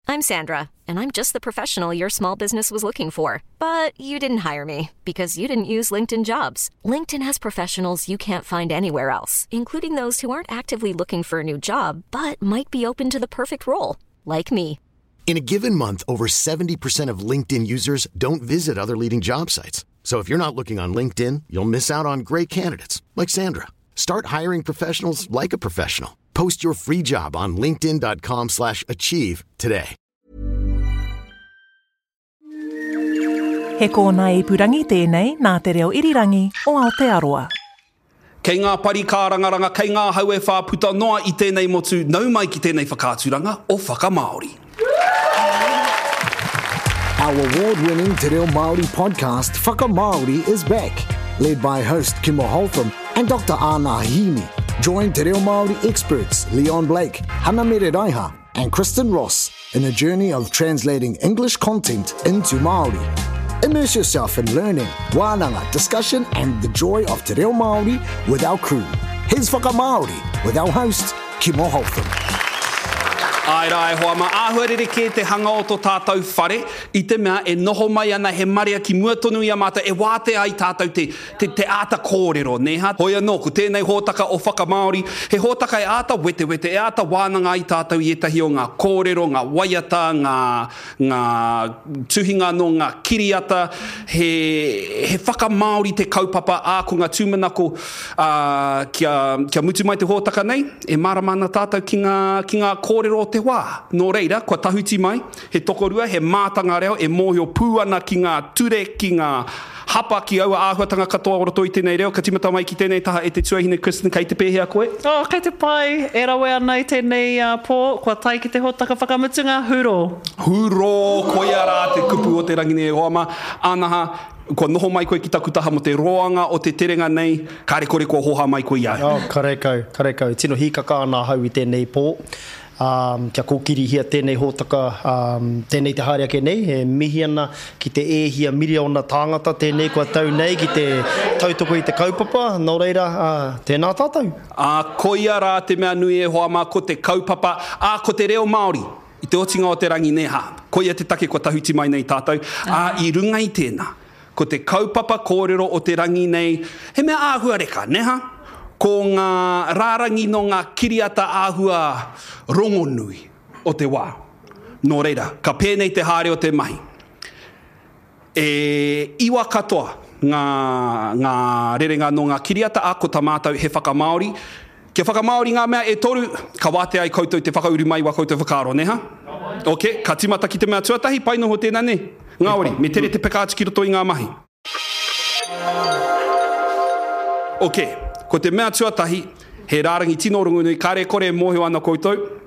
I'm Sandra, and I'm just the professional your small business was looking for. But you didn't hire me because you didn't use LinkedIn jobs. LinkedIn has professionals you can't find anywhere else, including those who aren't actively looking for a new job but might be open to the perfect role, like me. In a given month, over 70% of LinkedIn users don't visit other leading job sites. So if you're not looking on LinkedIn, you'll miss out on great candidates like Sandra. Start hiring professionals like a professional. Post your free job on linkedin.com/achieve slash achieve today. He kōnae ipurangi tēnei nā Te Reo Irirangi o Aotearoa. Kei ngā pari kārangaranga, kei ngā hau e whā puta noa i tēnei motu, nau mai ki tēnei whakaaturanga o Whakamāori. Our award-winning Te Reo Māori podcast Whakamāori is back, led by host Kimo Holtham and Dr Ana Hini. Join Te Reo Māori experts Leon Blake, Hana Mere Raiha and Kristen Ross in a journey of translating English content into Māori. Immerse yourself in learning, wānanga, discussion and the joy of Te Reo Māori with our crew. Here's Whakamāori with our host, Kimo Holtham. Āe rā e hoa mā, āhua rerekē te hanga o to tātou whare i te mea e noho mai ana he marea ki mua tonu i a mātou e wātea ai tātou te, te, te āta kōrero, nē hā? Hoi anō, ko tēnei hōtaka o Whakamāori, he hōtaka e āta wetewete, e āta wānanga ai tātou i ētahi o ngā kōrero, ngā waiata, ngā, ngā tuhinga nō ngā kiriata, he, he whakamāori te kaupapa, ā, ko ngā tūmanako, ā, kia, kia mutu mai te hōtaka nei, e mārama ana tātou ki ngā, ki ngā kōrero o te wā. Nō reira, kua tahuti mai, he tokorua, he mātanga reo e mōhio pū ana ki ngā ture, ki ngā hapa, ki aua āhuatanga katoa o roto i tēnei reo. Ka tīmata mai ki tēnei taha e te tuahine, Kristen, kei te pēhea koe? Oh, kei te pai, e rawe ana i tēnei pō, kua tae ki te hōtaka whakamutunga, hurō! Hurō! Koia rā te kupu o te rangi nei e hoa mā. Anaha, kua noho mai koe ki taku taha mō te roanga o te terenga nei, kāre kore kua hōhā mai koe i a au. Oh, karekau, karekau. Tino hīkaka ana ahau i tēnei pō. Ā, kia kōkirihia tēnei hōtaka, ā, tēnei te haere ake nei, e mihi ana ki te e hia miriona tāngata tēnei kua tau nei ki te tautoko i te kaupapa, nō reira, ā, tēnā tātou. Ā, koia rā te mea nui e hoa mā, ko te kaupapa, ā, ko te reo Māori, i te otinga o te rangi nē hā, koia te take kua tahuti mai nei tātou, ā, i runga i tēnā, Ko te kaupapa kōrero o te rangi nei, he mea āhuareka, nē hā? Ko ngā rārangi nō ngā kiriata āhua rongonui o te wā. Nō reira, ka pēnei te haere o te mahi. E iwa katoa ngā, ngā rerenga nō ngā kiriata, ā, ko tā mātou he whakamāori. Kia whakamāori ngā mea e toru, ka wātea ai koutou te whakauru mai i wā koutou whakaaro, nē hā? Ok, ka tīmata ki te mea tuatahi, pai noho tēnā, nē? Ngāwari, me tere te peka atu ki roto i ngā mahi. Ok, ko te mea tuatahi, he rārangi tino rongonui, kāre kore e mōhio ana koutou,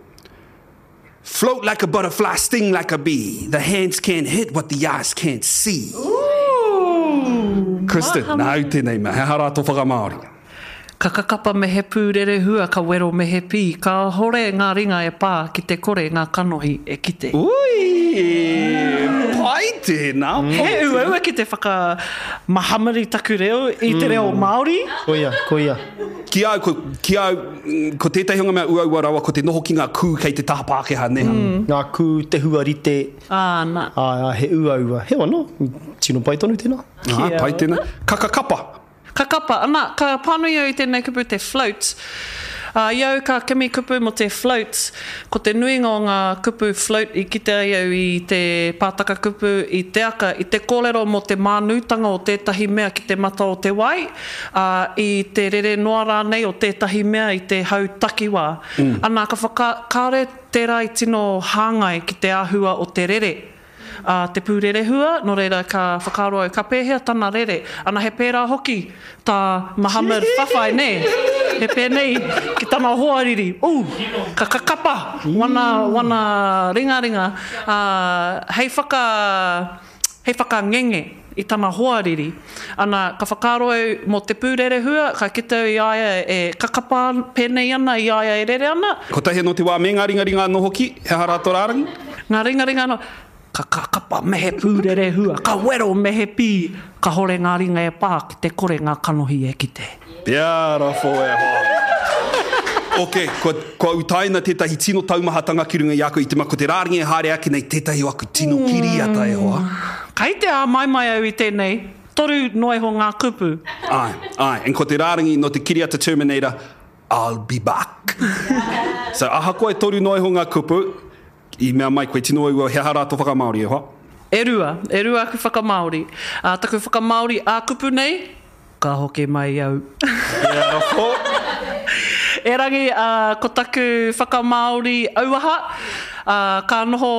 Float like a butterfly, sting like a bee, the hands can't hit what the eyes can't see. Kristen, nāu tēnei mea, he aha rā tō whakamāori? Ka kakapa me he pūrerehua, ka wero me he pī, kāhore ngā ringa e pā ki te kore ngā kanohi e kite. Ui! Pai tēnā, pai tēnā. He uaua ki te whakamahamari taku reo i te reo Māori. Koia, koia. Ki au, ko, ki au, ko tētahi o ngā mea uaua rawa ko te noho ki ngā kū kei te taha Pākehā, nē? Ngā kū, te huarite. Āna. Āe, āe, he uaua. Heoi anō, tino pai tonu tēnā. Āe, pai tēnā. Ka kakapa. Kakapa, ana, ka pānui au i tēnei kupu te float. Ā, i au ka kimi kupu mō te float, ko te nuinga o ngā kupu float i kite ai au i te pātaka kupu, i te aka, i te kōrero mō te mānūtanga o tētahi mea ki te mata o te wai, ā, i te rere noa rānei o tētahi mea i te hau takiwā. Ana, ka whaka, kāore tērā i tino hāngai ki te āhua o te rere a te pūrerehua, nō reira ka whakaaro au, ka pēhea tana rere? Ana, he pērā hoki tā Muhammad whawhai, nē? He pēnei ki tana hoariri, ū, ka kakapa wana, wana ringaringa, ā, hei whaka, hei whakangenge i tana hoariri. Ana, ka whakaaro au mō te pūrerehua, ka kite au i a ia e kakapa pēnei ana i a ia e rere ana. Kotahi anō te wā me ngā ringaringa anō hoki, he aha rā tō rārangi? Ngā ringaringa anō, ka kakapa me he pūrerehua, ka wero me he pī, kahore ngā ringa e pā ki te kore ngā kanohi e kite. Beautiful e hoa. Ok, kua, kua utaina tētahi tino taumahatanga ki runga i a koe i te mea ko te rārangi e haere ake nei tētahi o aku tino kiriata e hoa. Kei te āmaimai au i tēnei, toru noa iho ngā kupu. Āe, āe, and ko te rārangi nō te kiriata Terminator, I'll be back. So ahakoa e toru noa iho ngā kupu, i mea mai koe tino uaua he aha rā tō whakamāori e hoa? E rua, e rua aku whakamāori. Ā, taku whakamāori ā-kupu nei, Ka hoki mai au. Beautiful. Erangi, ā, ko taku whakamāori auaha, ā, ka noho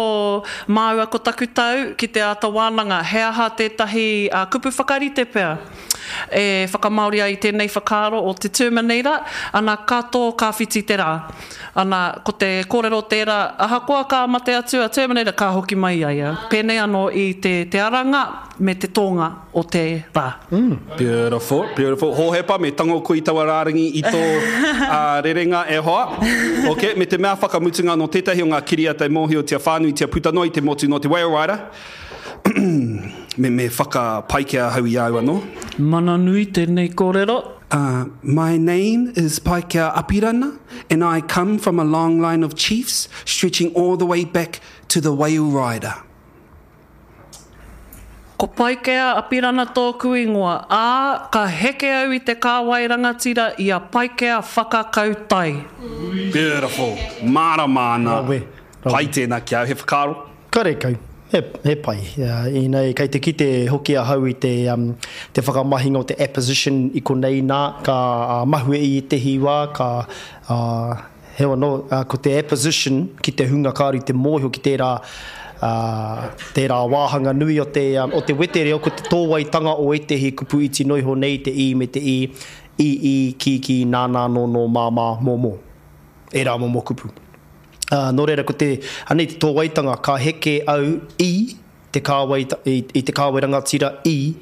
māua ko taku tau ki te āta wānanga he aha tētahi kupu whakarite pea e whakamāori ai i tēnei whakaaro o te Terminator, ana, ka tō, ka whiti te rā. Ana, ko te kōrero tērā, ahakoa ka mate atu a Terminator, ka hoki mai a ia. Pēnei anō i te, te aranga me te tōnga. o te rā. Beautiful, beautiful. Hohepa, me tango koe i taua rārangi i tō rerenga e hoa. Ok, me te mea whakamutunga nō tētahi o ngā kiriata e mōhiotia whānuitia puta noa i te motu nō te Whale Rider. Me, me whakapaikea ahau i a au anō. Mana nui tēnei kōrero. My name is Paikea Apirana and I come from a long line of chiefs stretching all the way back to the Whale Rider. Ko Paikea Apirana tōku ingoa, ā, ka heke au i te kāwai rangatira i a Paikea Whakakau Tai. Beautiful. Mārama ana. Rawe. Rawe. Pai tēnā ki a au, he whakaaro? Karekau. He, he pai. Ina, kei te kite hoki ahau i te, te whakamahinga o te apposition i konei nā, ka mahue i ētehi wā, ka, Heoi anō, ko te apposition ki te hunga kāore i te mōhio ki tērā, tērā wāhanga nui o te, o te wetereo, ko te tōwaitanga o ētehi kupu iti noa iho nei, te i me te i, i, i, ki, ki, nā, nā, nō, nō, mā, mā, mō, mō. Ērā momo kupu. Nō reira, ko te, anei te tōwaitanga, ka heke au i te kāwai, i, i te kāwai rangatira i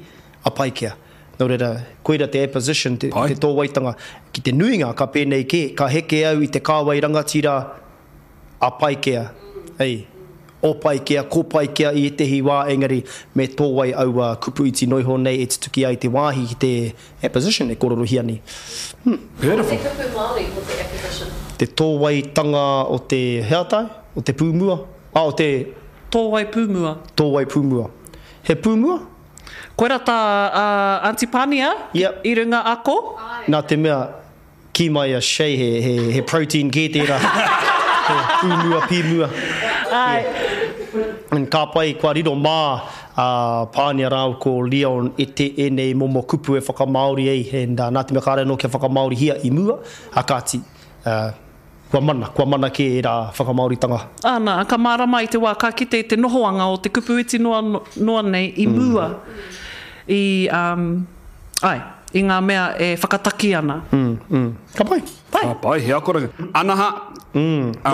a Paikea. Nō reira, koira te apposition, te, te tōwaitanga. Ki te nuinga, ka pēnei kē, ka heke au i te kāwai rangatira a Paikea. Ei, o Paikea, ko Paikea i ētehi wā, engari me tōwai aua kupu iti noa iho nei e tutuki ai te wāhi ki te apposition e kōrerohia nei. Hmm. Beautiful. Ko te kupu Māori mō te apposition. Te tōwaitanga o te, he aha tāu? O te pūmua? Ah, o te. Tōwai pūmua. Tōwai pūmua. He pūmua? Koira tā a Aunty Pania Yep. i runga ako. Nā te mea, kī mai a Shay he, he, he protein kē tērā. He pūmua, pīmua. Āe. Yeah. And ka pai, kua riro mā a Pānia rāua ko Leon e te, ēnei momo kupu e whakamāori ai, and nā te mea kāre anō kia whakamāorihia i mua, a kāti, uh, Kua mana, kua mana kē ērā whakamāoritanga. Āna, ka mārama i te wā ka kite i te nohoanga o te kupu iti noa, noa nei i mua i, um, āe, i ngā mea e whakataki ana. Mm, mm. Ka pai. Pai. Ka pai, he akoranga. Anaha, ā,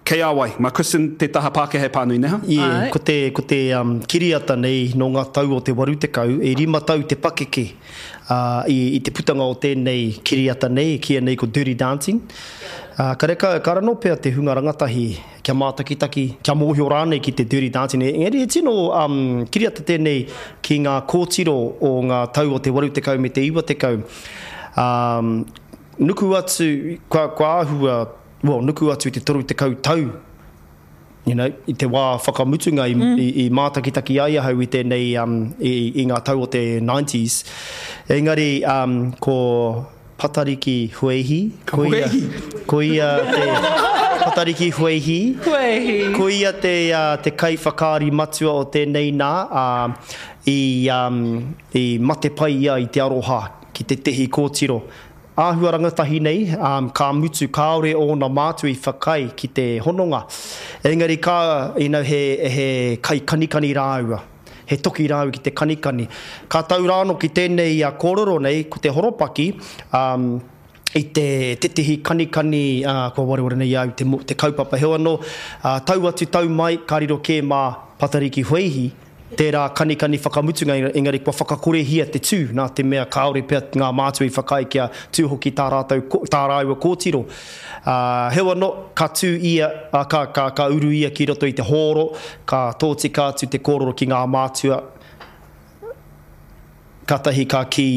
kei a wai? Mā Kristen te taha Pākehā e pānui, nē ha? Yeah, Āe. ko te, ko te um, kiriata nei nō ngā tau o te 80, e rima tau te pakeke ā, i, i te putanga o tēnei kiriata nei, e kīia nei ko Dirty Dancing. Ā, karekau, kāre anō pea te hunga rangatahi kia mātakitaki, kia mōhio rānei ki te Dirty Dancing. Engari he tino um, kiriata tēnei ki ngā kōtiro o ngā tau o te 80 me te 90. Um, nuku atu, kua, kua āhua, well, nuku atu i te 30 tau, you know, i te wā whakamutunga i, mm. i, i mātakitaki ai ahau i tēnei, um, i, i ngā tau o te 90s. Engari, um, ko Patariki Hueihi, ko ia, ko ia te Patariki Hueihi, Hueihi. ko ia te, uh, te kaiwhakaari matua o tēnei nā, uh, i, um, i mate pai ia i te aroha ki tētehi kōtiro. Āhua rangatahi nei, ā, ka mutu kāore ōna mātua i whakaae ki te hononga. Engari ka, you know, he, he kaikanikani rāua. He toki rāua ki te kanikani. Ka tau rānō ki tēnei kōrero nei, ko te horopaki, ā, i te tētehi kanikani, ā, kua wareware nei a au te, te kaupapa. Heoi anō, ā, tau atu tau mai, ka riro kē mā Patariki Hueihi, Tērā kanikani whakamutunga engari kua whakakorehia te tū nā te mea kāore pea ngā mātua i whakaae kia tū hoki tā rātou, tā rāua kōtiro. Ā, heoi anō, ka tū ia, ā, ka, ka, ka uru ia ki roto i te hōro, ka tōtika atu te kōrero ki ngā mātua, kātahi ka kī.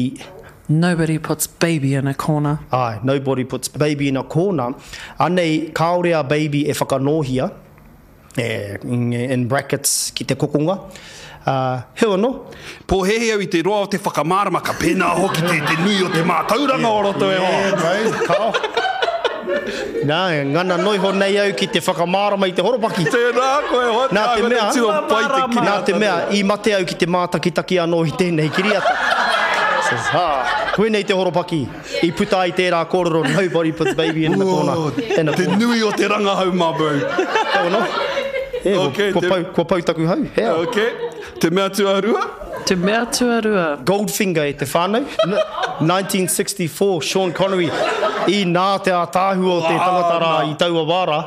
Nobody puts baby in a corner. Āe, nobody puts baby in a corner. Anei, kāore a baby e whakanōhia, e, in brackets, ki te kokonga. Ā, heoi anō. Pōhēhē au i te roa o te whakamārama, ka pēnā hoki te, te nui o te mātauranga o roto e hoa. Yeah, bro, kao. Nā, ngana noiho nei au ki te whakamārama i te horopaki. Tēnā koe e hoa, te Nā te āhua mea, nei tino pai te kiriata. Nā te mea, i mate au ki te mātakitaki anō i tēnei kiriata. Says, ha, koinei te horopaki i puta ai tērā kōrero nobody puts baby in the corner. In a Te corner. nui o te rangahau, my bro. Kau anō. E, kua, Okay, kua, te- pau, kua pau taku hau. Hea. Okay. Te mea tuarua? Te mea tuarua. Goldfinger e te whānau. 1964, Sean Connery. I nā te ātaahua o te tangata rā i taua wā rā.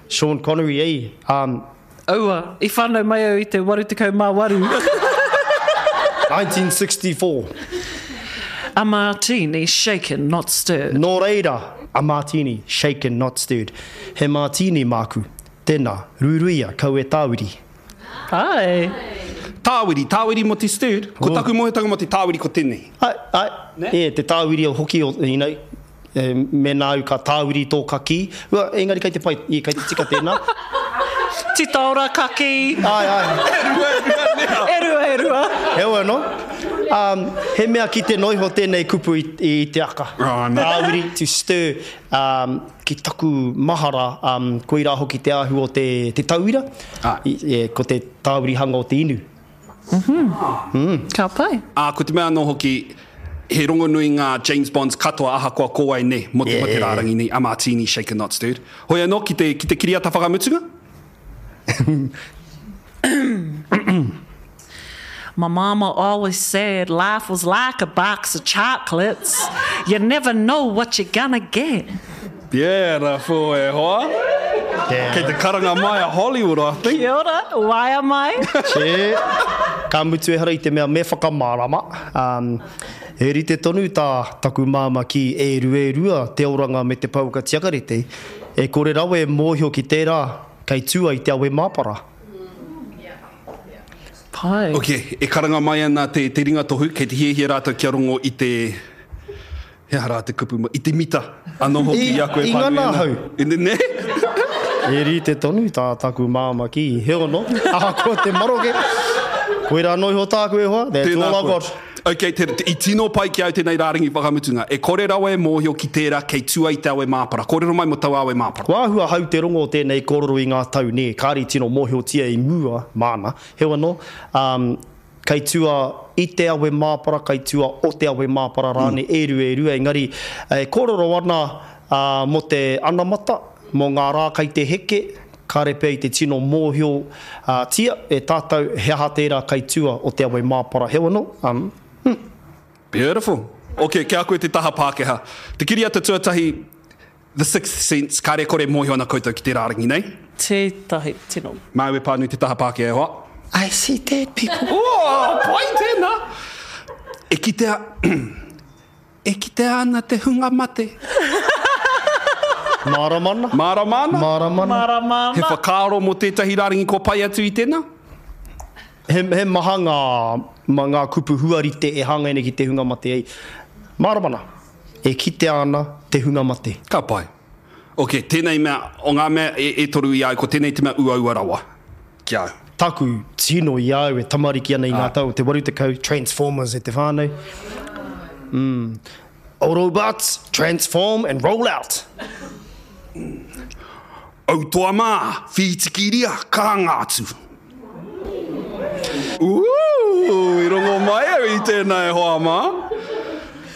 Sean Connery, ei. Um, Aua, i whānau mai au i te 88. 1964. A martini shaken not stirred. Nō reira, a martini shaken not stirred. He martini māku. Tēnā, ruiruia, kau e tāwiri. Ai. Tāwiri, tāwiri mō te stirred. Ko taku mōhiotanga mō te tāwiri ko tēnei. Ai, ai. E, te tāwiri hoki o, you know, e, mēnā au ka tāwiri tō kakī. Ua, engari kei te pai, e, kei te tika tēnā. Titaora kakī. Ai, ai. E rua, e rua, nē. E rua, e rua. Heoi anō, um, he mea kite noa iho tēnei kupu i, i te aka. Oh, no. Tāwiri, to stir, um, ki taku mahara, um, koirā hoki te āhua o te, te tauira, Ai. I, e, ko te tāwirihanga o te inu. Ka pai. Ā, ko te mea anō hoki, he rongonui ngā James Bonds katoa ahakoa ko wai nei, mō te, mō te rārangi nei, a Martini, Shaken Not Stirred. Hoi anō, ki te, ki te kiriata whakamutunga? My mama always said life was like a box of chocolates. You never know what you're gonna get. Beautiful, e hoa. Kei te karanga mai a Hollywood, I think. Kia ora, waea mai. Che, ka mutu ehara i te mea me whakamārama. Um, he rite tonu tā taku māmā ki e rua e rua te oranga me te pouaka tiakarete, e kore rawa e mōhio ki tērā kei tua i te awe māpara. Pai. Ok, e karanga mai ana te, te ringatohu, kei te hiahia rātou kia rongo i te, he aha rā te kupu, i te mita anō hoki i a koe I pānui ngana ana. ahau. I, ne? E rite tonu tā taku māmā ki, heoi anō, ahakoa te maroke, koirā noa iho tāku e hoa, that's Tēnā all I've koe. got. Ok, te, te, i tino pai ki au tēnei rārangi whakamutunga. E kore rawa e mōhio ki tērā kei tua i te awe māpara. Kōrero mai mō taua awe māpara. Kua āhua hau te rongo o tēnei kōrero i ngā tau, nē, kāre i tino mōhiotia i mua, māna. Heoi anō, um, kei tua i te awe māpara, kei tua o te awe māpara rānei, e rua, e rua, engari e kōrero ana ā, mō te anamata, mō ngā rā kei te heke, kāre pea i te tino mōhio ā, tia e tātou he aha tērā kei tua o te awe māpara. Heoi anō, um, Beautiful. Ok, ki a koe te taha Pākehā. Te kiriata tuatahi, The Sixth Sense, kāre kore mōhio ana koutou ki te rārangi nei. Tētahi tino. Māu e pānui te taha Pākehā e hoa. I see dead people. Oh, pai tēnā! E kitea, e kitea ana te hunga mate. Mārama ana. Mārama ana? Mārama ana. Mārama He ana. whakaaro mō tētahi rārangi kua pai atu i tēnā? He, he maha ngā, ma, ngā kupu huarite e hāngai nei ki te hunga mate ei. Mārama ana. E kitea ana te hunga mate. Ka pai. Ok, tēnei mea, o ngā mea e, e toru i a au, ko tēnei te mea uaua rawa ki a au. Taku tino i a au e tamariki ana i ngā tau o te 80, Transformers e te whānau. Mm. Autobots, transform and roll out. Autoa mā, whītikiria, karanga atu. Ooh, i rongo mai au i tēnā e hoa mā.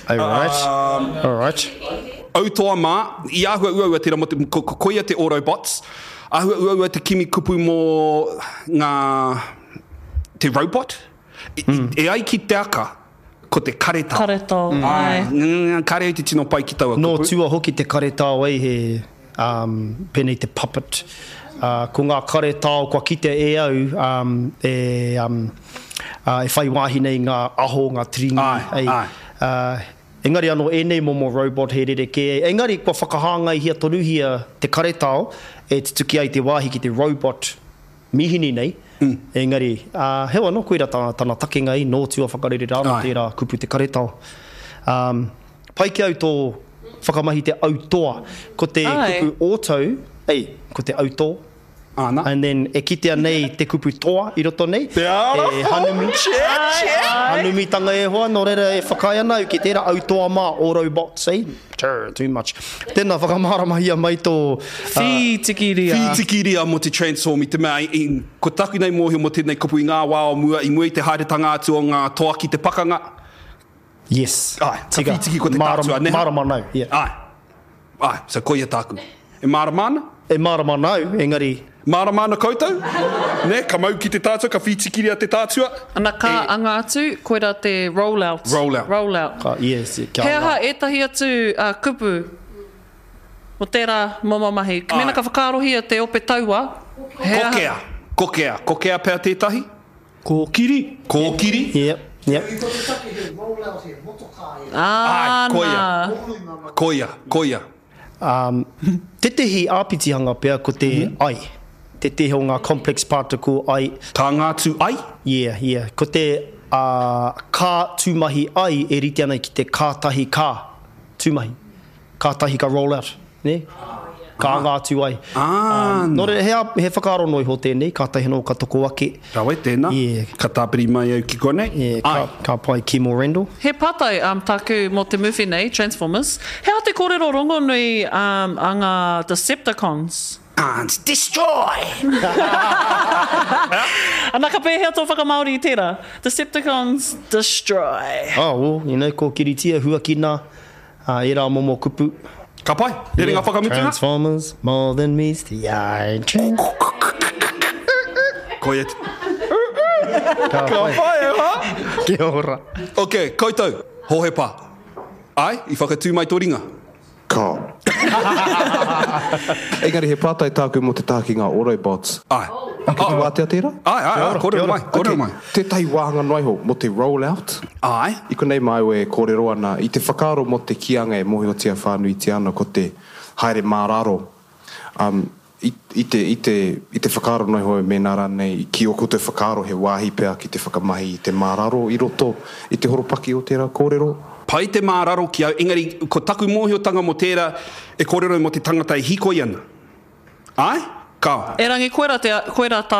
Alright. Alright. Autoa mā, i āhua uaua tērā mō te, ko, ko, koia te Autobots, āhua uaua te kimi kupu mō ngā, te robot. I, mm. E ai ki te aka, ko te karetao. Karetao, āe. Mm, kare au te tino pai ki taua Nō kupu. tua hoki te karetao ei he um, pēnei te puppet. Uh, ko ngā karetao kua kitea e au um, e, um, uh, e whai wāhi nei ngā aho, ngā tiringi. Āe, ei, āe. Uh, engari anō ēnei momo robot he rerekē. Engari kua whakahāngaihia tonuhia te karetao e tutuki ai te wāhi ki te robot mīhini nei. Mm. Engari, uh, heoi anō, koira tā, tana takenga i nō tua whakarere rānō Āe. tērā kupu te karetao. Um, pai ki au tō whakamahi te autoa. Ko te kupu auto, ei, ko te autō. Āna. And then e kitea nei te kupu toa i roto nei. Te ara E hanumi. Hanumitanga e hoa, nō reira e whakaae ana au ki tērā autoa mā, autobots, eh? Too, too much. Tēnā, whakamāramahia mai tō... Whītikiria. Whītikiria mō te transform i te mea, i, ko taku nei mōhio mō tēnei kupu i ngā wā o mua, i mua i te haeretanga atu o ngā toa ki te pakanga. Yes. Āe, ka whītiki ko te tātua, nē? Mārama nau, yeah. Āe. Āe, so koia tāku. E mārama ana? E mārama ana au, engari. Mārama ana koutou? Nē, ka mau ki te tātua, ka whītikiria te tātua. Ana ka anga atu, koirā te roll out. Roll out. Roll out. Ka, yes, kia He anga. aha ētahi atu kupu mō tērā momo mahi? Mēnā ka whakaarohia te ope taua, he aha? Kokea. Kokea. Kokea pea tētahi? Kōkiri. Kōkiri. Yep, yep. Ko te take he roll out he motokā e. Āe, koia. Koia, koia. Um, tētehi āpitihanga pea ko te ai. Tētehi o ngā complex particle ai. Ka ngā tū ai? Yeah, yeah. Ko te uh, ka tūmahi ai e rite ana ki te kātahi ka tūmahi. Kātahi ka roll out, nē? Ka anga atu ai. Ah, Nō reira, he, ā- he whakaaro noa iho tēnei, kātahi anō ka toko ake. Rawe, tēnā. Yeah. Ka tāpiri mai au ki konei. Yeah, ka, Ai. ka pai Kimo Randall. He pātai um, tāku mō te movie nei, Transformers. He aha te kōrero rongonui um, a ngā Decepticons? Can't destroy! Ana, ka pēhea tō whakamāori i tērā? Decepticons destroy. Oh, well, you know, kōkiritia, huakina, Ā, ērā momo kupu. Ka pai. Rerenga whakamutunga. Transformers, more than meets the eye. Koia te. Ka pai. Ka pai e hoa. Kia ora. Ok, koutou, Hohepa. Ai, i whakatū mai tō ringa. Ka. Engari he pātai tāku mō te taha ki ngā Autobots. Āe. Kei te wātea tērā? Āe, āe, āe, kōrero mai, kōrero mai. Tētahi wāhanga noa iho mō te roll out. Āe. I konei māua e kōrero ana i te whakaaro mō te kīanga e mōhiotia whānuitia ana ko te haere mā raro. Um, i, i te, i te, i te whakaaro noa iho mēnā rānei ki ō koutou whakaaro he wāhi pea ki te whakamahi i te mā raro i roto i te horopaki o tērā kōrero. Pai te mā raro ki au, engari ko taku mōhiotanga mō tērā e kōrero mō te tangata e hīkoi ana. Āe? Kāo. Erangi koira te, koira tā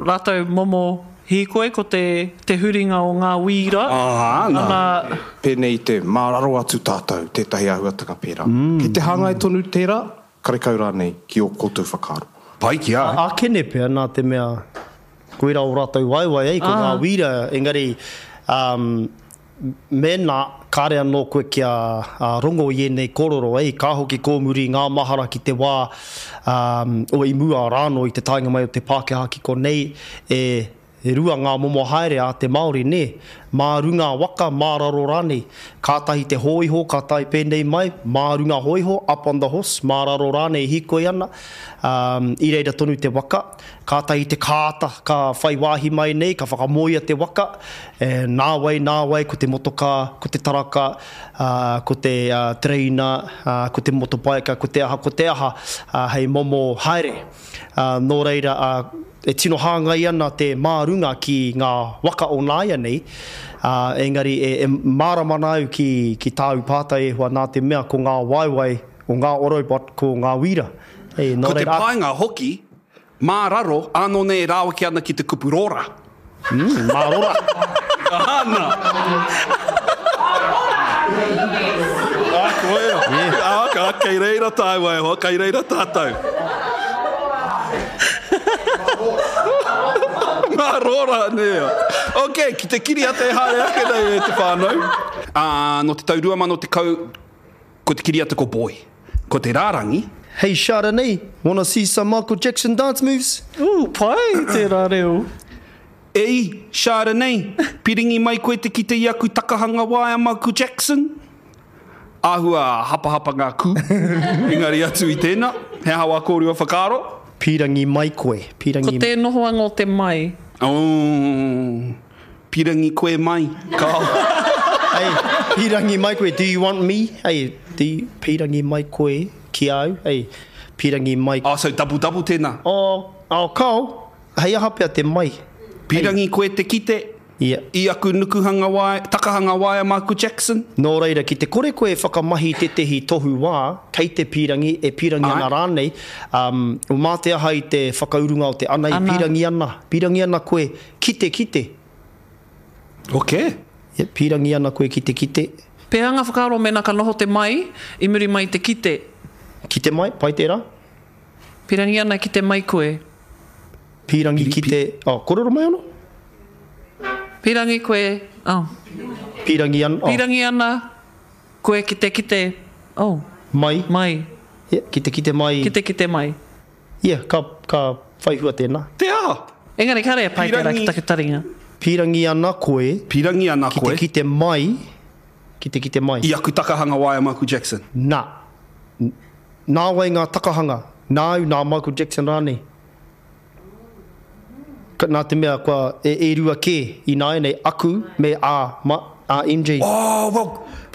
rātou momo hīkoi, ko te, te huringa o ngā wīra. Ā, nā. Ana. Pēnei i te mā raro atu tātou, tētahi āhuatanga pērā. Kei te hāngai tonu tērā, karekau rānei, ki ō koutou whakaaro. Pai ki a au. Ākene pea, nā te mea, koira ō rātou waewae, ei, ko ngā wīra, engari, um, Mēnā kāre anō koe kia rongo i ēnei kōrero, ei, ka hoki kōmuri ngā mahara ki te wā o i mua rānō i te taenga mai o te Pākehā ki konei, e rua ngā momo haere a te Māori, nē, mā runga waka, mā raro rānei. Kātahi te hōiho ka tae pēnei mai, mā runga hōiho, up on the horse, mā raro rānei hīkoi ana, i reira tonu te waka. Kātahi te kāta ka whai wāhi mai nei, ka whakamoea te waka, e, nāwai, nāwai, ko te motokā, ko te taraka, ā, ko te tereina, ā, ko te motopaika, ko te aha, ko te aha, ā, hei momo haere. Ā, nō reira, ā, e tino hāngai ana te mā runga ki ngā waka o nāianei, ā, engari e, e mārama ana au ki, ki tāu pātai e hoa, nā te mea ko ngā waewae o ngā Autobot ko ngā wīra. E, nō Ko te reira, ā. painga hoki, Mā raro, ānō nei e rāweke ana ki te kupu rora. Mm, mā rora. Āna. Ā, koia. Ā, ka, kei reira tāua e hoa, kei reira tātou. Mā rora, nē. Ok, ki te kiriata e haere ake nei e te whānau. Ā, nō te tau 2010, Ko te kiriata ko Boy. Ko te rārangi. Hey Chardonnay, wanna see some Michael Jackson dance moves? Ooh, pai tērā reo. Ei, Chardonnay, piringi mai koe te kite i aku takahanga waea Michael Jackson? Āhua hapahapa ngā kū, engari atu i tēnā, he aha wā kōrua whakaaro? Pīrangi mai koe, pīrangi. Ko te nohoanga o te mai. Oh, Pirangi koe mai, kao. Hey, pirangi mai koe, do you want me? Hey, do you, pirangi mai koe ki a au? Hey, pirangi mai. Oh, so double double tēnā. Oh, oh, kao, hei aha pea te mai. Pirangi koe te kite. Ia. I aku nukuhanga waea, takahanga waea Michael Jackson. Nō reira, ki te kore koe e whakamahi i tētehi tohu wā, kei te pīrangi, e pīrangi ana rānei, um, mā te aha i te whakaurunga o te ana i pīrangi ana, pīrangi ana koe ki te kite. Ok. Ia, pīrangi ana koe ki te kite. Pēhea ngā whakaaro mēnā ka noho te mai i muri mai i te kite? Kite mai, pai tērā. Pīrangi ana ki te mai koe. Pīrangi ki te, oh, kōrero mai anō? Pīrangi koe, oh. Pīrangi ana, oh. Pīrangi ana koe ki te kite, oh. Mai. Mai. Yeah, ki te kite mai. Ki te kite mai. Yeah, ka, ka whai hua tēnā. Te aha? Engari kāre e pai tērā ki taku taringa. Pīrangi ana koe. Pīrangi ana koe. Ki te kite mai, ki te kite mai. I aku takahanga waea Michael Jackson. Nā. Nā wai ngā takahanga? Nāu, nā Michael Jackson rānei? Nā te mea kua e, e rua kē ināianei aku me a, ma, a MJ. Oh, well,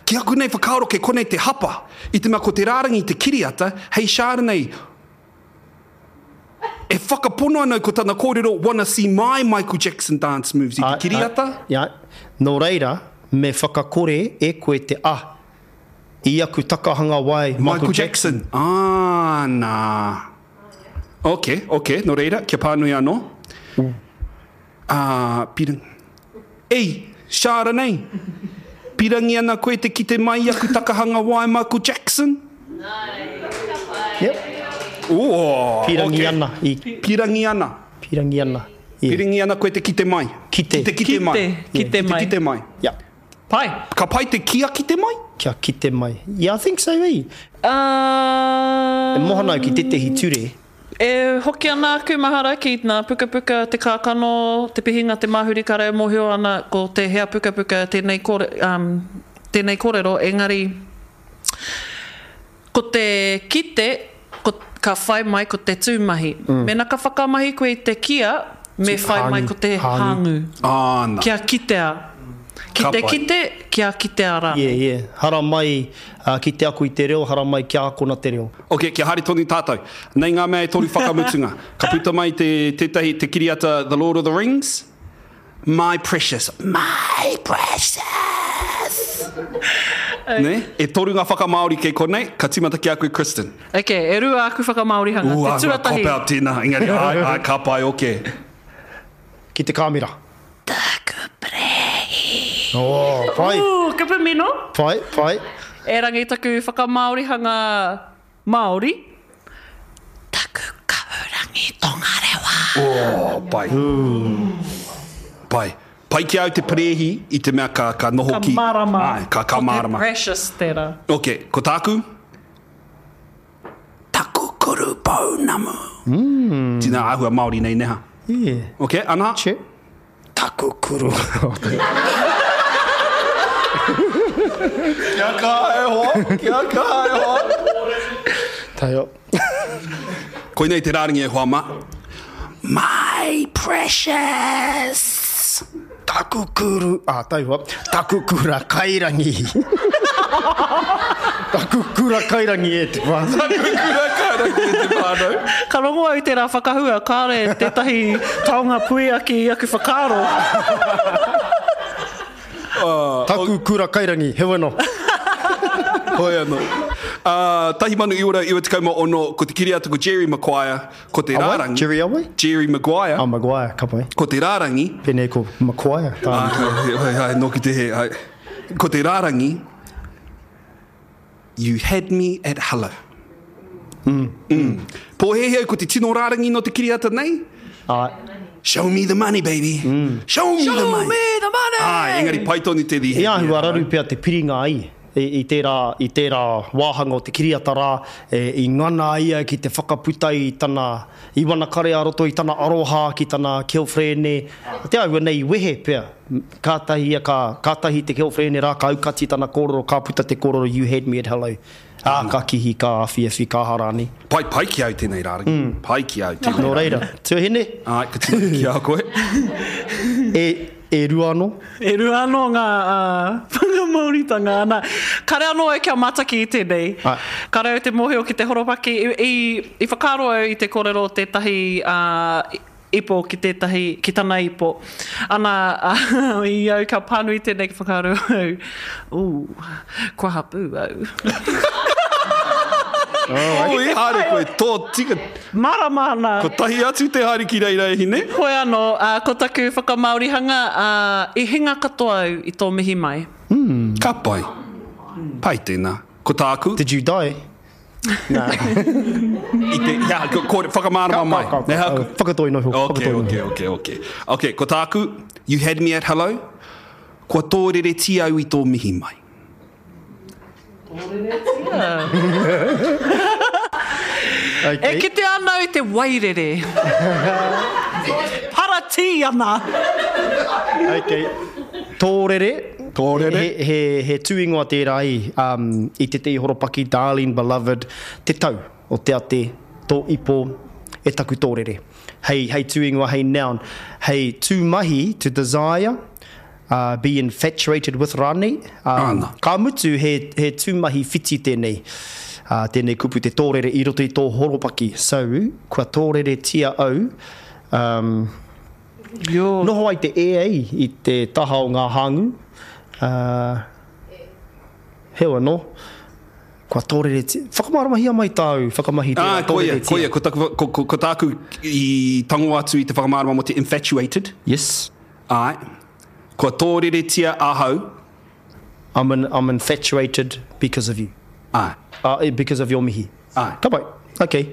ki aku nei whakaaro kei konei te hapa, i te mea ko te rārangi te kiriata, hei Chardonnay, e whakapono ana au ko tana kōrero wanna see my Michael Jackson dance moves i te kiriata. Āe, āe, nō reira, me whakakore e koe te a i aku takahanga wae Michael Jackson. Ā, nā. Ok, ok, nō reira, kia pānui anō. Ā, pirangi. Ei, Chardonnay! Pirangi ana koe te kite mai i aku takahanga wae Michael Jackson? Yep. Ooh, Pirangi ok. ana i. Pirangi ana. Pirangi ana. Yeah. Pirangi ana koe te kite mai. Kite. Ki te kite mai. Kite, kite mai. Ki te kite mai. Yeah. Pai. Ka pai te kia kite mai? Kia kite mai. Yeah, I think so, eh? Uh, E mohana au ki tetehi ture. E hoki ana aku mahara ki ngā pukapuka Te Kākano, Te Pihinga, Te Māhuri ka reo mōhio ana ko tēhea pukapuka tēnei kore, um, tēnei kōrero, engari Ko te kite, ko, ka whai mai ko te tūmahi. Mēnā ka whakamahi koe i te kia, me whai mai ko te hāngū. Āna. Kia kitea. Ki Ka te pai. kite, kia kitea rānei. Yeah, yeah. Haramai ki te ako i te reo, haramai kia akona te reo. Ok, kia haere tonu tātou. Nei ngā mea e toru whakamutunga. Ka puta mai te, tētahi, te kiriata The Lord of the Rings. My precious. My precious! Nē? E toru ngā whakamāori kei konei, ka tīmata ki a koe Kristen. Ok, e rua aku whakamāorihanga. Ooh, Te āhua tuatahi. cop out tēnā, engari āe, āe, ka pai, ok. Ki te kāmera. Taku perehi. Oh, pai. Ooh, kupu mino. Pai, pai. Erangi taku whakamāorihanga Māori. Taku kahurangi tongarewa. Oh, pai. Pai. Pai ki a au te perehi i te mea ka, ka noho Ka ki... marama. Āe, ka, ka mārama. Ko te precious tērā. Ok, ko tāku? Taku kuru pounamu. Mm. Tina āhua Māori nei neha. Yeah. Ok, ana? Che. Taku kuru. Kia kaha e hoa, kia kaha e hoa. Taio. Koinei te rārangi e hoa mā. My precious. Taku kuru, ah, taihoa, taku kura kairangi. Taku kura kairangi e te whānau. Taku kura kairangi e te whānau. Ka rongo au i tērā whakahua, kāore tētahi taonga puiaki i aku whakaaro. Taku kura kairangi, heoi anō. Hoi anō. 1996, ko te kiriata ko Jerry Maguire, ko te rārangi. Jerry awai? Jerry Maguire. Oh, Maguire, ka pai. Ko te rārangi. Pēnei ko Maguire. Ai, ai, ai, nōku te hē, ai. Ko te rārangi, You had me at hello. Mm. Mm. Pōhēhē au ko te tino rārangi nō te kiriata nei? Ai. Show me the money, baby. Mm. Show me the money. Show me the money! Ai, engari pai tonu te He āhua raru pea te piringa ai i tērā, i tērā wāhanga o te kiriata rā, e, i ngana ia ki te whakaputa i tana, i wana kare ā-roto i tana aroha ki tana girlfriend, te āhua nei i wehe pea, kātahi ia ka, kātahi te girlfriend rā ka aukati tana kōrero, ka puta te kōrero you had me at hello. Ā, ka kihi, ka awhiawhi, ka aha rānei. Pai, pai ki au tēnei rārangi. Pai ki au tēnei Nō reira, tuahine? Āe, ka tīmata ki a koe. E, e rua anō? E rua anō ngā whakamāoritanga, ana. Kare anō au kia mātaki i tēnei. Āe. Kare au te mōhio ki te horopaki. I, i, i whakaaro au i te kōrero o tētahi, ā, ipo ki tētahi, ki tana ipo. Ana, i au ka pānui tēnei ka whakaaro au, ooh, kua hapū au. Oh, i haere koe, tō tika. Marama ana. Kotahi atu te haere ki reira e hine. Hoi anō, ko taku whakamāorihanga, i hinga katoa au i tō mihi mai. Ka pai. Pai tēnā. Ko tāku. Did you die? Nā. I te, he aha, ko, ko, whakamārama mai. Ka, ka, ka, ka, whakatoi noa iho. Ok, ok, ok, ok. Ok, ko tāku, you had me at hello, kua tōreretia au i tō mihi mai. Tōreretia? Okay. E kite ana au i te wairere. Paratī ana. Ok. Tōrere, Tōrere. He, he, he tūingoa tērā i, um, i tētehi horopaki, darling, beloved, te tau o te ate, tō ipo, e taku tōrere. Hei, hei tūingoa, hei noun. Hei tūmahi, to desire, uh, be infatuated with rānei. Um, Āna. Ka mutu, he, he tūmahi whiti tēnei, uh, tēnei kupu te tōrere i roto i tō horopaki. So, kua tōreretia au, um, Yo. Noho ai te ea i te taha o ngā hāngū, ā, heoi anō, kua tōreretia. Whakamāramahia mai tāu whakamahi tērā Ā, koia, tōreretia. koia, ko taku, ko, ko, ko tāku i tango atu i te whakamārama mō te infatuated. Yes. Āe. Kua tōreretia ahau. I'm, in, I'm infatuated because of you. Āe. Uh, because of your mihi. Āe. Ka pai. Okay.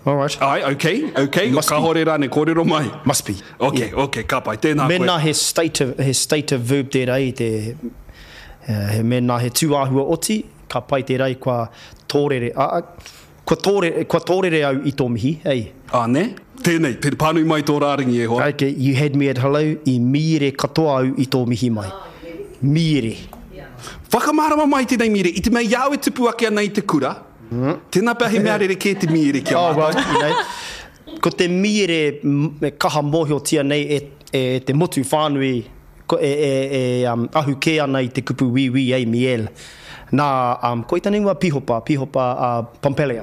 Alright. Ai, ok, ok, Must be. kahore rānei, kōrero mai. Must be. Ok, Yeah. ok, ka pai, tēnā koe. Mēnā he state of, he state of verb tērā i te, he, mēnā he tūāhua oti, ka pai tērā i kua tōrere, a, a, kua tōrere, kua tōrere au i tō mihi, ei. Ā, nē? Tēnei, tēnei, pānui mai tō rārangi e hoa. Ok, you had me at hello, i mīere katoa au i tō mihi mai. Mīere. Whakamārama mai tēnei mīere, i te mea i a au e tupu ake ana i te kura, Tēnā pea he mea rerekē te mīere ki a Oh, mātou. well, you know, ko te mīere e kaha mōhiotia nei e, e te motu whānui ko, e, e, e um, ahu kē ana i te kupu wīwī, ei, miel. Nā, um, ko i tana ingoa Pihopa, Pihopa uh, Pompelea.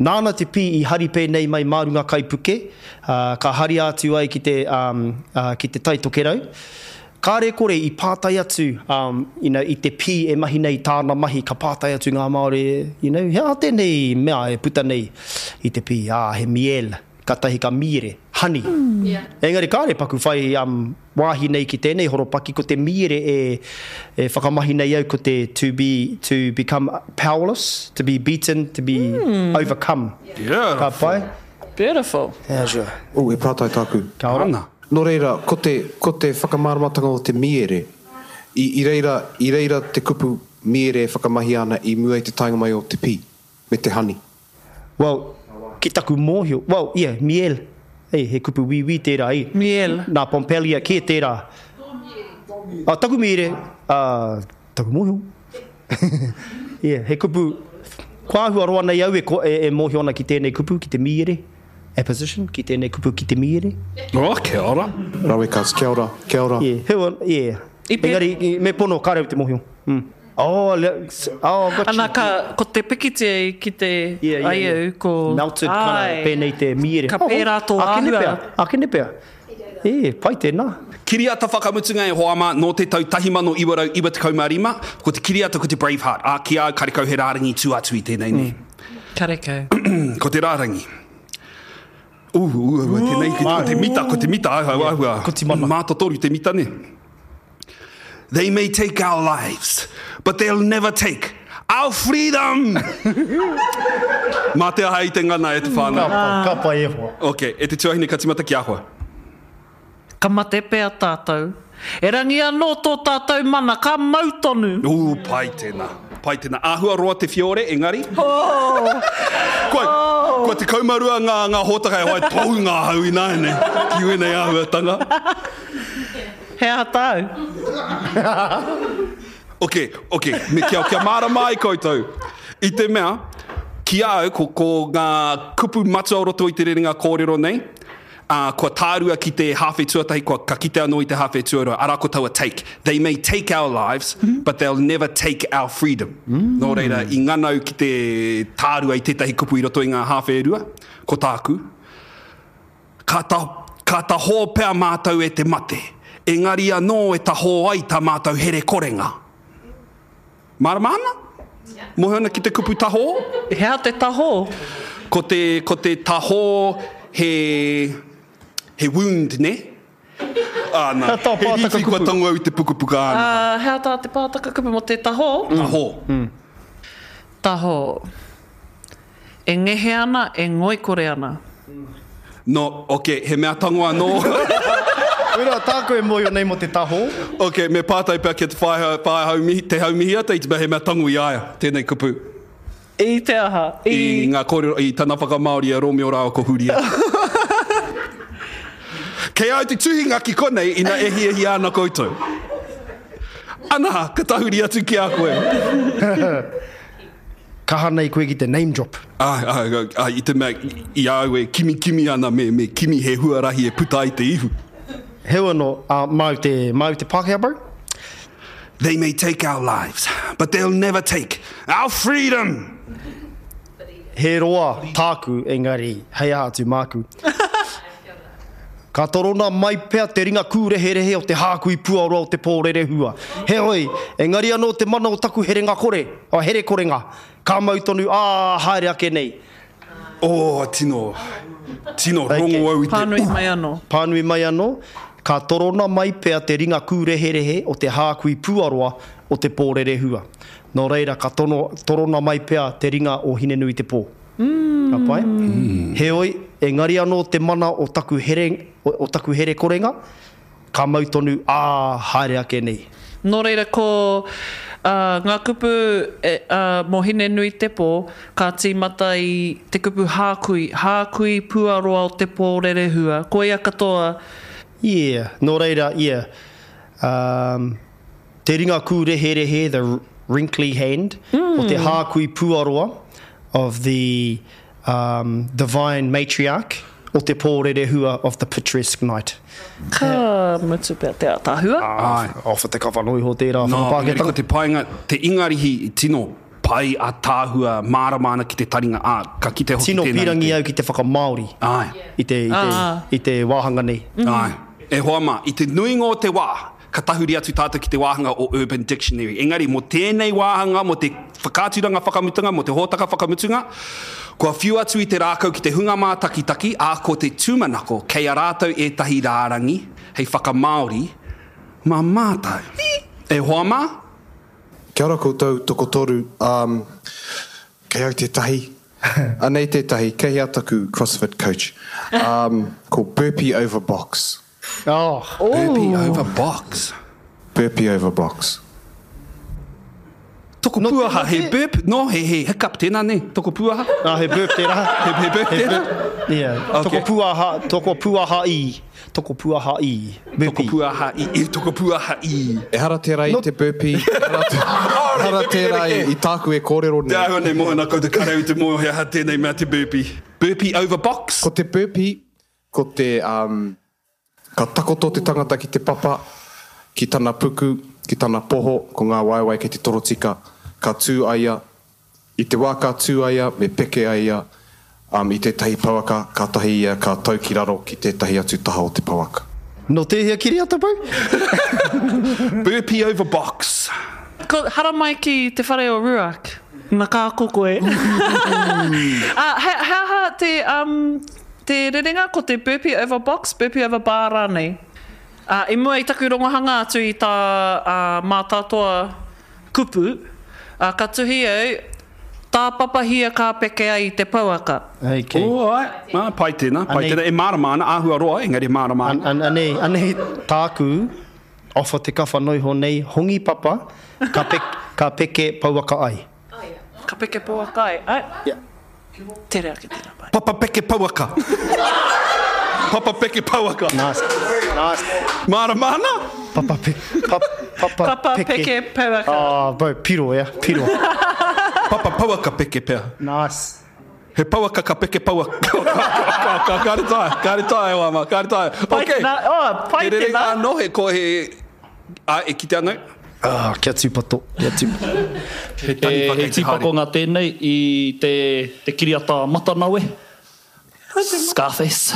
Nāna te pī i hari pēnei mai mā runga kaipuke, uh, ka haria atu ai ki te, um, uh, ki te Tai Tokerau. Kāre kore i pātai atu, um, you know, i te pī e mahi nei tāna mahi, ka pātai atu ngā Māori, you know, he aha tēnei mea e puta nei i te pī, ā, he miel, kātahi ka mīere, honey. Engari kāre paku whai um, wāhi nei ki tēnei horopaki, ko te mīere e, e whakamahi nei au ko te to be, to become powerless, to be beaten, to be overcome. Beautiful. Ka pai? Beautiful. How's your... Oh, he pātai tāku. Ka ora. Ana. Nō reira, ko te, ko te whakamāramatanga o te mīere, i, i reira, i reira te kupu mīere e whakamahia ana i mua i te taenga mai o te pī, me te hani. Well, ki taku mōhio, well, yeah, miel, hey, he kupu wīwī tērā, eh. Miel. Nā Pompelia kē tērā. Ah, taku mīere, ah, taku mōhio. yeah, he kupu, kua āhua roa nei au e, e, e mōhio ana ki tēnei kupu, ki te mīere. Apposition, ki tēnei kupu ki te mīere. Oh, kia ora. Rawe cuz, kia ora, kia ora. Yeah, he, yeah. I pē- Engari, me pono, kāre au te mōhio. Mm. Oh, le, oh, got you. Ana ka, ko te pikitia i kite Yeah, yeah, ai yeah. au, ko... Melted, kind Āe. of, pēnei te mīere. Ka pērā tō Akene āhua. pea, akene pea. E, pai tēnā. Kiriata whakamutunga e hoa mā, nō te tau 1995, ko te kiriata ko te Braveheart. Ā, ki a au, karekau he rārangi tū atu i tēnei nei. Karekau. Ko te rārangi. Ū, ū, ū, tēnei, ko te mita, ko te mita, āhua, āhua. Ko Timana. Mātotoru te mita, ne? They may take our lives, but they'll never take our freedom! Mā te aha i te ngana e te whānau. Ka pai, ka pai e hoa. Ok, e te tuahine ka timata ki a koe. Ka mate pea tātou. Erangi anō tō tātou mana, ka mau tonu. Ū, pai tēnā. Pai tēnā. Āhua roa te whiore, engari. Oh! Kua, kua 12 ngā, ngā hōtaka e whai tohu ngā hau ināianei ki wēnei āhuatanga. He aha tāu? Ok, ok, me kia, kia mārama ai koutou. I te mea, ki a au, ko, ko ngā kupu matua o roto i te rerenga kōrero nei, ā, kua tārua ki te hāwhe tuatahi, kua, ka kite anō i te hāwhe tuarua, arā ko taua take. They may take our lives, but they'll never take our freedom. Nō reira, i ngana au ki te tārua i tētahi kupu i roto i ngā hāwhe e rua, ko tāku, Ka ta, ka tahō pea mātou e te mate, engari anō e tahō ai tā mātou herekorenga. Mārama ana? Mōhio ana ki te kupu tahō? He aha te tahō? Ko te, ko te tahō he, he wound, nē? Āna, he rīwhi kua tango au i te pukapuka āna. He aha tā te pātaka kupu mō te tahō? Tahō. Tahō. E ngehe ana, e ngoikore ana. No, ok, he mea tango anō. Wera, tāku e mōhio nei mō te tahō. Ok, me pātai pea ki a Te Whaea, Te Haumihiata i te mea he mea tango i a ia tēnei kupu. I te aha? I. I ngā kōrero, i tana whakamāori i a Rōmeo rāua ko Hūria. Kei a au te tuhinga ki konei ina e hiahia ana koutou. Ana, ka tahuri atu ki a koe. Kaha nei koe ki te name drop. Āe, āe, āe, i te mea, i a au e kimikimi ana me, me kimi he huarahi e puta ai te ihu. Heoi anō, ā, māu te, māu te Pākehā bro? They may take our lives, but they'll never take our freedom! He roa tāku, engari hei aha atu māku. Ka torona mai pea te ringa kūreherehe o te hākui puaroa o te pōrerehua. Heoi, engari anō te mana o taku herenga kore, herekorenga, ka mau tonu, ā, haere ake nei. Oh, tino, tino rongo au i te Pānui mai anō. Pānui mai anō, Ka torona mai pea te ringa kūreherehe o te hākui puaroa o te pōrerehua. Nō reira, ka tono, torona mai pea te ringa o Hinenuitepō. Ka pai? Heoi, engari anō te mana o taku here, o taku herekorenga, Ka mau tonu, ā, haere ake nei. Nō reira, ko ngā kupu mō Hinenuitepō, ka tīmata i te kupu hākui, hākui puaroa o te pō rerehua, koia katoa. Yeah, nō reira, yeah, um, te ringa kūreherehe, the wrinkly hand, o te hākui puaroa of the um, divine matriarch o te pō rerehua of the picturesque night. Ka mutu pea te ātaahua. Āe. Off te kawha noa iho tērā No, engari whakapākehātanga. ko te painga, te Ingarihi i tino pai, ātaahua, mārama ana ki te taringa, ā, ka kite hoki Tino tēnā i te. pīrangi au ki te whakamāori Āe. i te, i te, Ā. i te wāhanga nei. Āe. E hoa mā, i te nuinga o te wā, ka tahuri atu tātou ki te wāhanga o Urban Dictionary. Engari, mō tēnei wāhanga, mō te whakaaturanga whakamutunga, mō te hōtaka whakamutunga, kua whiu atu i te rākau ki te hunga mātakitaki, ā, ko te tūmanako, kei a rātou ētahi rārangi hei whakamāori mā mātou. E hoa mā? Kia ora koutou tokotoru, um, kei au tētahi, anei tētahi, kei hea taku CrossFit coach, um, ko burpee over box. Oh. Burpee over box. Burpee over box. Toko puaha, he burp, no, he, he hiccup tēnā, ne? Toko puaha. Ah, he burp tērā. He, he burp tērā? Yeah. Okay. Toko puaha, toko puaha i. Toko puaha i. Burpee. Toko puaha i, i, toko puaha i. Ehara tērā i te burpee, ehara, ehara tērā i, i tāku e kōrero nei. Te āhua nei mōhio nā koutou karau i te mōhio he aha tēnei mea te burpee. Burpee over box? Ko te burpee, Ko te, um, ka takoto te tangata ki te papa, ki tana puku, ki tana poho, ko ngā waewae kei te torotika, ka tū a ia, i te wā ka tū a ia, me peke a ia, um, i tētahi pouaka, kātahi ia ka tau ki raro ki tētahi atu taha o te pouaka. Nō tēhea kiriata, bro? Burpee over box. Ko haramai ki te whare o Ruark. Na ka ako koe. A, he, he aha te, um, Te rerenga ko te burpee over box, burpee over bar rānei. Ā, i mua i taku rongohanga atu i tā Mātātoa kupu, ā, ka tuhi au, tāpapahia ka peke ai i te pouaka. Okay. Oh, āe. Ā, pai tēnā, pai tēnā. E mārama ana, āhua roa, engari e mārama ana. Anei, anei tāku offer te kawha noiho nei, hongi papa, ka peke, ka peke pouaka ai. Ka peke pouaka ai, āe. Yeah. Tere ake tērā pai. Papa peke pouaka. Papa peke pouaka. Nice. Nice. Mārama ana? Papa pe, pa, papa, Papa peke. peke pouaka. Oh, bro, piro, yeah, piro. Papa pouaka peke pea. Nice. He pouaka ka peke pouaka. Ka, ka, kāre taea, kāre taea e wā mā, kāre taea. Pai Okay. tēnā, oh, pai He rerenga tēnā. anō, he ko he, ā, e kite ana au. Ah, kia tūpato, kia tūpato. He taniwha He kei te haere. tīpakonga tēnei i te, te kiriata Matanawe, Scarface.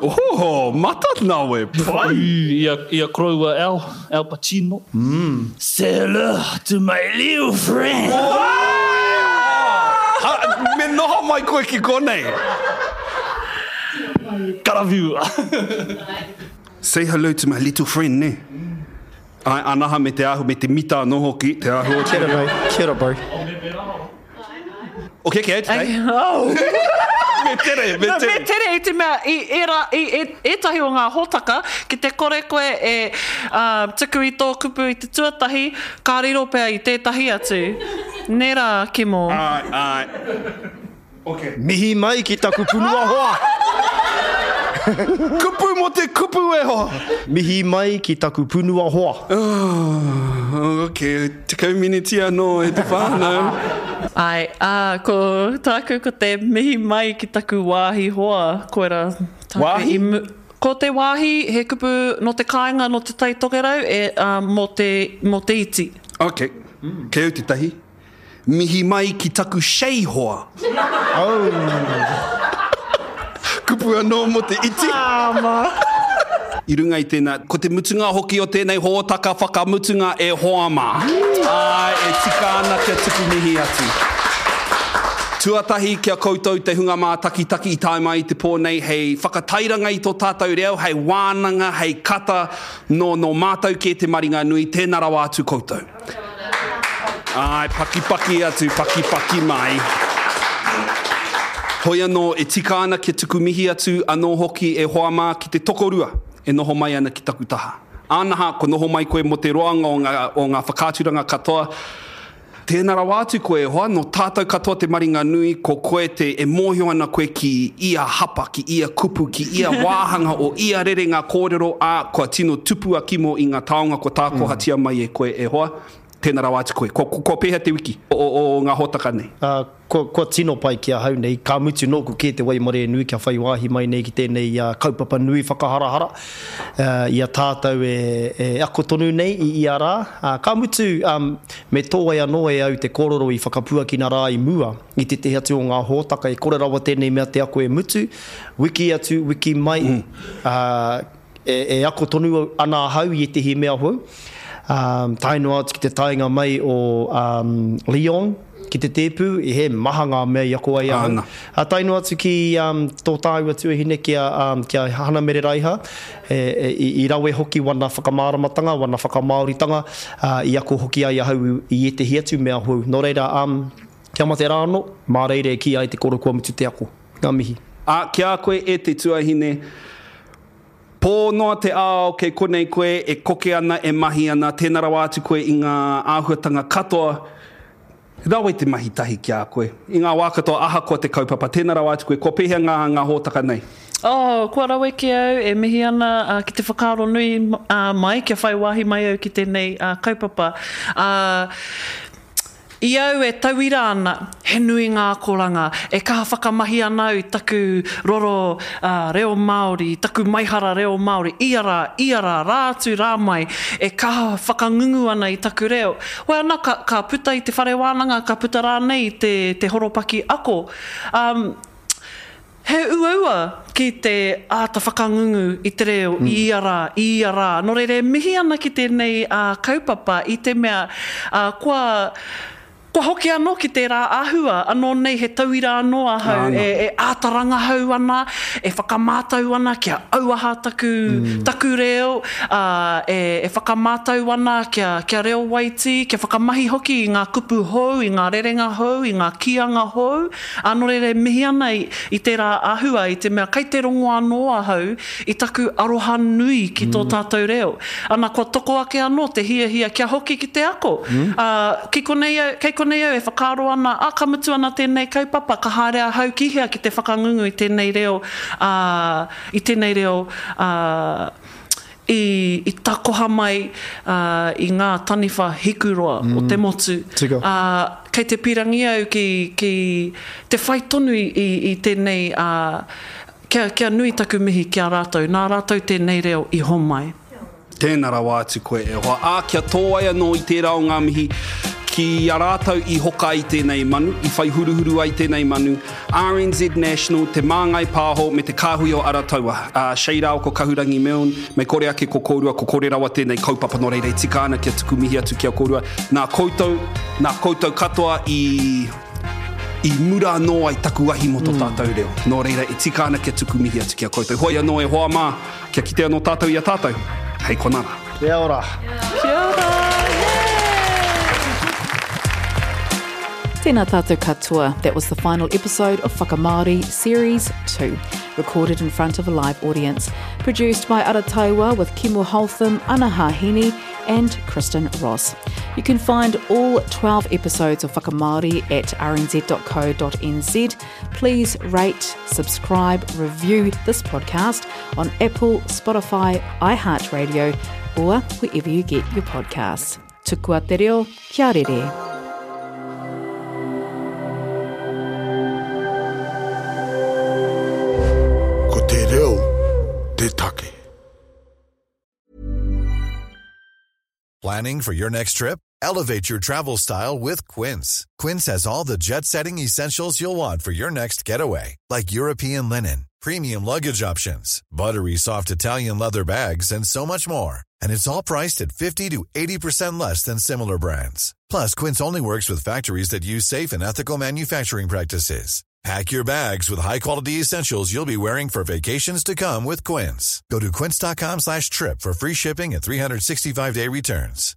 Oho, mata nawe, pai! I a, i a koroua Al, Al Pacino. Say hello to my little friend. Ha, me noho mai koe ki konei. Karawhiua. Say hello to my little friend, ne? Ai, anaha me te ahu, me te mita anō hoki, te ahu o te Kia ora, bro. Kia ora, bro. Okay, okay, today. Oh. Me tere, me No, tere. me tere i te mea, i ērā, i e, ētahi o ngā hōtaka, ki te kore koe e uh, tuku i tō kupu i te tuatahi, ka riro pea i tētahi atu. Nē rā, Kimo? Ai, ai. Okay. Mihi mai ki taku punua hoa. Kupu mo te kupu e hoa. Mihi mai ki taku punua hoa. Oh, okay, 10 miniti anō e te whānau. Āe, ā, ko tāku ko te mihi mai ki taku wāhi hoa, koirā tāku Wāhi? i mu, ko te wāhi he kupu nō te kāinga nō Te Tai Tokerau e, ā, mō te, mō te iti. Okay, kei au tētahi. Mihi mai ki taku shei hoa. Oh. Kupu anō mō te iti. I runga i tēnā, ko te mutunga hoki o tēnei hōtaka whakamutunga e hoa mā. Āe, e tika ana kia tuku mihi atu. Tuatahi ki a koutou te hunga mātakitaki i tae mai i te pō nei hei whakatairanga i tō tātou reo, hei wānanga, hei kata nō, nō mātou kē te maringa nui, tēnā rawa atu koutou. Āe, pakipaki atu, pakipaki mai. Hoi anō, e tika ana kia tuku mihi atu anō hoki e hoa mā ki te tokorua e noho mai ana ki taku taha. Ānaha, kua noho mai koe mō te roanga o ngā, o ngā whakaaturanga katoa. Tēnā rawa atu koe e hoa, nō tātou katoa te maringa nui, ko koe te, e mōhio ana koe ki ia hapa, ki ia kupu, ki ia wāhanga o ia rerenga kōrero, ā, kua tino tupu a Kimo i ngā taonga kua tākohatia mai e koe e hoa. Tēnā rawa atu koe. Kua, kua pēhea te wiki o, o, o ngā hōtaka nei? Ā, kua, kua tino pai ki ahau nei, ka mutu nōku kē te waimarie nui kia whai wāhi mai nei ki tēnei kaupapa nui whakaharahara i a tātou e, e ako tonu nei i ia rā. Ā, ka mutu, ā, me tōai anō e au te kōrero i whakapuakina rā i mua i tētehi atu o ngā hōtaka e kore rawa tēnei mea te ako e mutu, wiki atu, wiki mai, ā, E ako tonu ana ahau i ētehi mea hou, tae noa atu ki te taenga mai o Leon ki te tēpu, he maha ngā mea i ako ai ahau. Tae noa atu ki tō tāua tuahine ki a Hana Mere Raiha, i rawe hoki wana whakamāramatanga, wana whakamāoritanga, i ako hoki ai ahau i ētehi atu mea hou. Nō reira, kia mate rā anō, mā reira e kī ai te koro kua mutu te ako. Ngā mihi. Ā, ki a koe e te tuahine, pō noa te ao kei konei koe e koke ana, e mahi ana, tēnā rawa atu koe i ngā āhuatanga katoa, rawe te mahi tahi ki a koe. I ngā wā katoa ahakoa te kaupapa, tēnā rawa atu koe, kua pēhea ngā, ngā hōtaka nei? Oh, kua rawe ki au, e mihi ana ki te whakaaro nui mai kia whai wāhi mai au ki tēnei kaupapa. I au e tauira ana, he nui ngā akoranga, e kaha whakamahi ana au i taku roro reo Māori, i taku maihara reo Māori, ia rā, ia rā, rā atu, rā mai, e kaha whakangungu ana i taku reo. Hoi ana, ka, ka puta i te whare wānanga, ka puta rānei i te, te horopaki ako. Um, He uaua ki te āta whakangungu i te reo i ia rā, i ia rā. Nō reira e mihi ana ki tēnei kaupapa i te mea kua, kua hoki anō ki tērā āhua, anō nei he tauira anō ahau e āta rangahau ana, e whakamātau ana kia auaha taku, taku reo, ā, e whakamātau ana kia, kia reo waitī, kia whakamahi hoki i ngā kupu hou, i ngā rerenga hou, i ngā kīanga hou. Ā, nō reira e mihi ana i, i tērā āhua, i te mea kei te rongo anō ahau i taku aroha nui ki tō tātou reo. Ana, kua toko ake anō te hiahia kia hoki ki te ako. Ā, ki konei au, kei konei au e whakaaro ana, ā, ka mutu ana tēnei kaupapa, ka haere ahau ki hea ki te whakangungu i tēnei reo, ā, i tēnei reo, ā, i, i takoha mai i ngā taniwha hikuroa o te motu. Tika. Ā, kei te pīrangi au ki, ki te whai tonu i, i, i tēnei, ā, kia, kia nui taku mihi ki a rātou, nā rātou tēnei reo i homai. Tēnā rawa atu koe e hoa. Ā, kia tōai anō i tērā o ngā mihi. Ki a rātou i hoka ai tēnei manu, i whai huruhuru ai tēnei manu, RNZ National, Te Māngai Pāho me te Kāhui o Arataua, ā, Shay rāua ko Kahurangi Milne, mei kore ake ko kōrua, ko kore rawa tēnei kaupapa nō reira e tika ana kia tuku mihi atu ki a kōrua. Nā koutou, nā koutou katoa i, i mura anō ai taku ahi mō tō tātou reo. Nō reira e tika ana kia tuku mihi atu ki a koutou. Hoi anō e hoa mā, kia kite anō tātou i a tātou. Hei konā rā. Kia ora. Kia ora. Tēnā tātou katoa. That was the final episode of Whakamāori Series 2, recorded in front of a live audience. Produced by Arataiwa with Kimu Holtham, Ana Hahini and Kristen Ross. You can find all 12 episodes of Whakamāori at rnz.co.nz. Please rate, subscribe, review this podcast on Apple, Spotify, iHeartRadio, or wherever you get your podcasts. Tukua te reo, kia rere. Ko te reo te take. Planning for your next trip? Elevate your travel style with Quince. Quince has all the jet setting essentials you'll want for your next getaway, like European linen, premium luggage options, buttery soft Italian leather bags, and so much more. And it's all priced at 50 to 80% less than similar brands. Plus, Quince only works with factories that use safe and ethical manufacturing practices. Pack your bags with high-quality essentials you'll be wearing for vacations to come with Quince. Go to quince.com slash trip for free shipping and 365-day returns.